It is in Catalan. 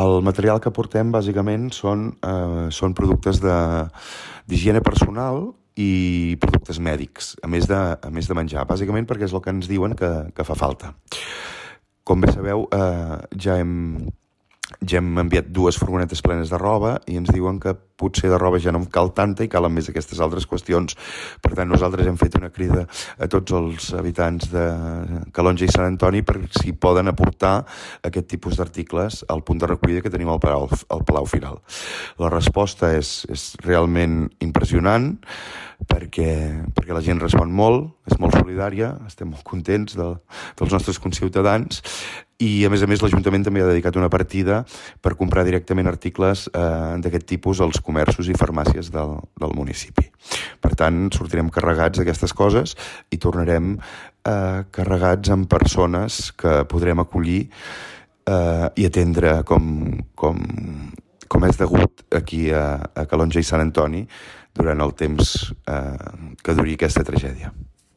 El material que portem, bàsicament, són productes d'higiene personal i productes mèdics, a més de menjar, bàsicament perquè és el que ens diuen que fa falta. Com bé sabeu, ja hem enviat 2 furgonetes plenes de roba i ens diuen que potser de roba ja no en cal tanta i calen més aquestes altres qüestions. Per tant, nosaltres hem fet una crida a tots els habitants de Calonge i Sant Antoni per si poden aportar aquest tipus d'articles al punt de recollida que tenim al Palau Firal. La resposta és realment impressionant perquè la gent respon molt, és molt solidària, estem molt contents dels nostres conciutadans i, a més, l'Ajuntament també ha dedicat una partida per comprar directament articles d'aquest tipus als comerços i farmàcies del municipi. Per tant, sortirem carregats d'aquestes coses i tornarem carregats amb persones que podrem acollir i atendre com és degut aquí a Calonge i Sant Antoni durant el temps que duri aquesta tragèdia.